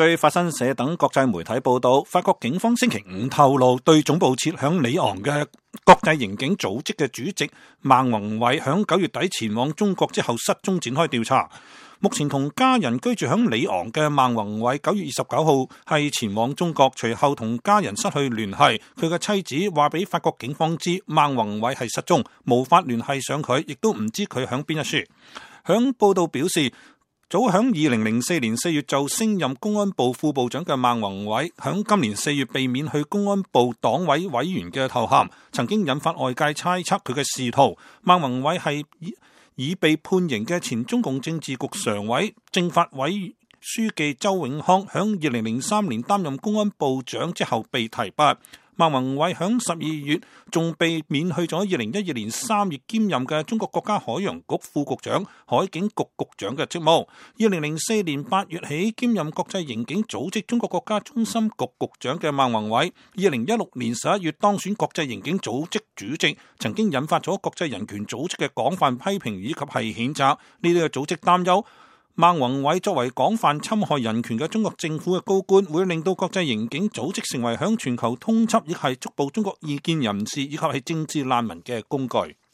據法新社等國際媒體報道，法國警方星期五透露，對總部設響里昂嘅國際刑警組織嘅主席孟宏偉響9月底前往中國之後失蹤展開調查。目前同家人居住響里昂嘅孟宏偉9月29號係前往中國，隨後同家人失去聯繫。佢嘅妻子話俾法國警方知，孟宏偉係失蹤，無法聯繫上佢，亦都唔知佢響邊一處。響報道表示，早響2004年4月就升任公安部副部長嘅孟宏偉，響今年4月被免去公安部黨委委員嘅頭銜，曾經引發外界猜測佢嘅仕途。孟宏偉係已被判刑嘅前中共政治局常委、政法委書記周永康，響2003年擔任公安部長之後被提拔。孟宏偉響12月仲被免去咗2012年3月兼任嘅中國國家海洋局副局長、海警局局長嘅職務。2004年8月起兼任國際刑警組織中國國家中心局局長嘅孟宏偉，2016年11月當選國際刑警組織主席，曾經引發咗國際人權組織嘅廣泛批評以及係譴責。呢啲嘅組織擔憂，孟宏偉作為廣泛侵害人權嘅中國政府嘅高官，會令到國際刑警組織成為響全球通緝，亦係捉捕中國異見人士以及係政治難民嘅工具。